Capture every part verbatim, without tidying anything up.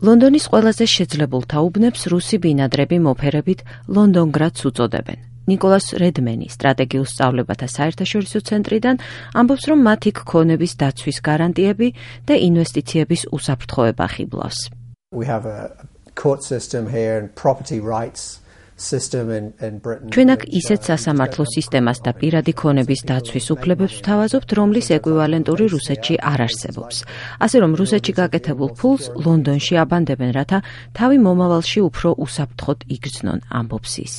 ლონდონის ყველაზე შეძლებულთა უბნებს რუსი ბინადრები მოფერებით ლონდონგრადს უწოდებენ. ნიკოლას რედმენი სტრატეგიულ სწავლებათა საერთაშორისო ცენტრიდან ამბობს, რომ მათი გქონების დაცვის გარანტიები და ინვესტიციების უსაფრთხოება ხიბლავს. We have a court system here and property rights system in in Britain. ჩვენ აქ ისეთ სასამართლო სისტემას და პირადი ქონების დაცვის უფლებებს ვთავაზობთ, რომლის ეკვივალენტური რუსეთში არ არსებობს. ასე რომ რუსეთში გაკეთებულ ფულს ლონდონში აბანდებენ, რათა თავი მომავალში უფრო უსაფრთხოდ იგრძნონ, ამბობს ის.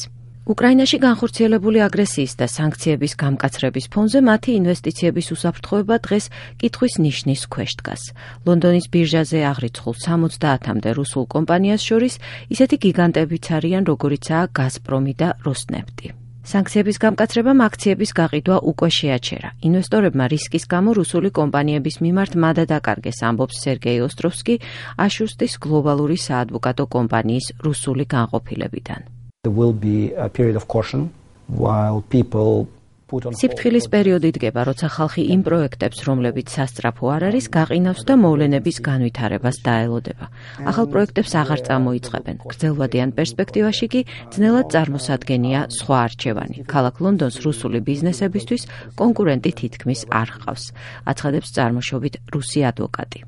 უკრაინაში განხორციელებული აგრესიის და სანქციების გამკაცრების ფონზე მათი ინვესტიციების უსაფრთხოება დღეს კითხვის ნიშნის ქვეშ დგას. ლონდონის ბირჟაზე აღრიცხულ სამოცდაათამდე რუსულ კომპანიას შორის ისეთი გიგანტებიც არიან, როგორიცაა გაზპრომი და როსნეფტი. სანქციების გამკაცრებამ აქციების გაყიდვა უკვე შეაჩერა. ინვესტორებმა რისკის გამო რუსული კომპანიების მიმართ მადა დაკარგეს, ამბობს სერგეი ოსტროვსკი აშუსტის გლობალური საადვოკატო კომპანიის რუსული განყოფილებიდან. There will be a period of caution while people put on სიფრთხილის პერიოდი დგება, როცა ხალხი იმ პროექტებს, რომლებიც სასწრაფო არ არის, გაყინავს და მოვლენების განვითარებას დაელოდება. ახალ პროექტებს აღარ წამოიწყებენ. გრძელვადიან პერსპექტივაში კი ძნელად წარმოსადგენია სხვა არჩევანი. ქალაქ ლონდონს რუსული ბიზნესებისთვის კონკურენტი თითქმის არ ჰყავს, აცხადებს წარმოშობით რუსი ადვოკატი.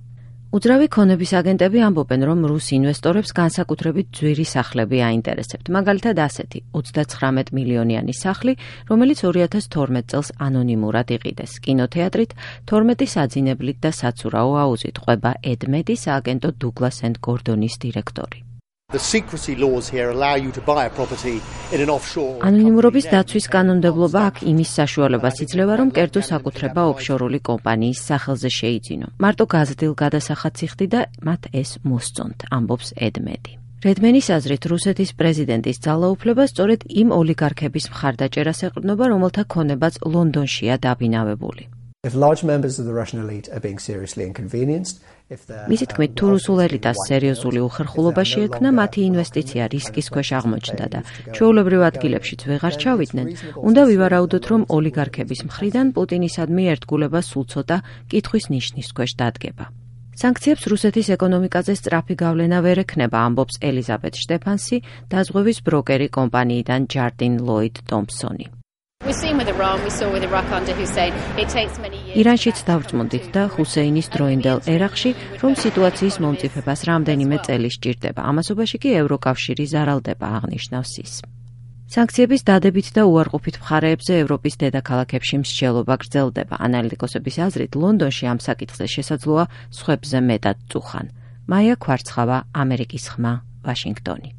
უძრავი ქონების აგენტები ამბობენ, რომ რუს ინვესტორებს განსაკუთრებით ძვირი სახლები აინტერესებთ. მაგალითად ასეთი ოცდაცხრამეტ მილიონიანი სახლი, რომელიც ორი ათას თორმეტ წელს ანონიმურად იყიდეს. კინოთეატრით, თორმეტი საძინებლით და საცურაო აუზით ყვება ედ მედი, სააგენტო დუგლას ენდ გორდონის დირექტორი. The secrecy laws here allow you to buy a property in an offshore. ანონიმურობის დაცვის კანონმდებლობა აქ იმის საშუალებას იძლევა, რომ კერძო საკუთრება ოფშორული კომპანიის სახელზე შეიძინო. მარტო გაზრდილ გადასახადს იხდი და მათ ეს მოსწონთ, ამბობს ედ მედი. რედმენის აზრით, რუსეთის პრეზიდენტის ძალაუფლება სწორედ იმ ოლიგარქების მხარდაჭერას ეყრდნობა, რომელთა ქონებაც ლონდონშია დაბინავებული. If large members of the Russian elite are being seriously inconvenienced, if they're მისი თქმით, თუ რუსულ ელიტას სერიოზული უხერხულობა შეექმნა, მათი ინვესტიცია რისკის ქვეშ აღმოჩნდა და ჩვეულებრივ ადგილებშიც ვეღარ ჩავიდნენ, უნდა ვივარაუდოთ, რომ ოლიგარქების მხრიდან პუტინისადმი ერთგულება სულ ცოტა კითხვის ნიშნის ქვეშ დადგება. სანქციებს რუსეთის ეკონომიკაზე სწრაფი გავლენა ვერ ექნება, ამბობს ელიზაბეთ შტეფანსი, დაზღვევის ბროკერი კომპანიიდან ჯარდინ ლოიდ ტომპსონი. ირანშიც დავწმუნდით და ჰუსეინის დროინდელ ერაყში, რომ სიტუაციის მომწიფებას რამდენიმე წელი სჭირდება. ამასობაში კი ევროკავშირი ზარალდება, აღნიშნავს ის. სანქციების დადებით და უარყოფით მხარეებზე ევროპის დედაქალაქებში მსჯელობა გრძელდება. ანალიტიკოსების აზრით, ლონდონში ამ საკითხზე შესაძლოა სხვებზე მეტად წუხან. მაია ქვარცხავა, ამერიკის ხმა, ვაშინგტონი.